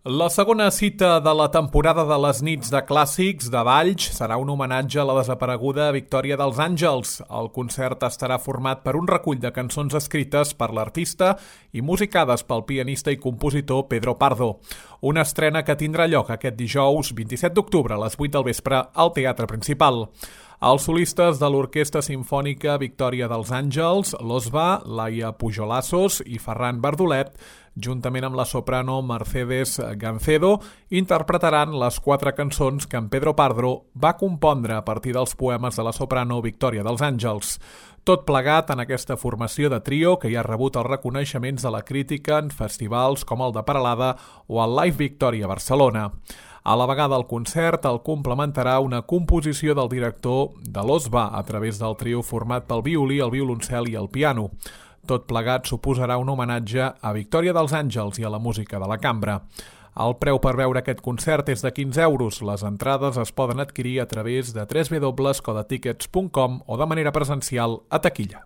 La segona cita de la temporada de les nits de clàssics de Valls serà un homenatge a la desapareguda Victòria dels Àngels. El concert estarà format per un recull de cançons escrites per l'artista i musicades pel pianista i compositor Pedro Pardo. Una estrena que tindrà lloc aquest dijous 27 d'octubre a les 8 del vespre al Teatre Principal. Els solistes de l'Orquestra Simfònica Victòria dels Àngels, l'Osva, Laia Pujolassos i Ferran Bardolet, juntament amb la soprano Mercedes Gancedo, interpretaran les 4 cançons que en Pedro Pardo va compondre a partir dels poemes de la soprano Victòria dels Àngels. Tot plegat en aquesta formació de trio que ja ha rebut els reconeixements de la crítica en festivals com el de Peralada o el Live Victòria Barcelona. A la vegada el concert el complementarà una composició del director de l'Osva a través del trio format pel violí, el violoncel i el piano. Tot plegat suposarà un homenatge a Victòria dels Àngels i a la música de la cambra. El preu per veure aquest concert és de 15 euros. Les entrades es poden adquirir a través de www.codatickets.com o de manera presencial a taquilla.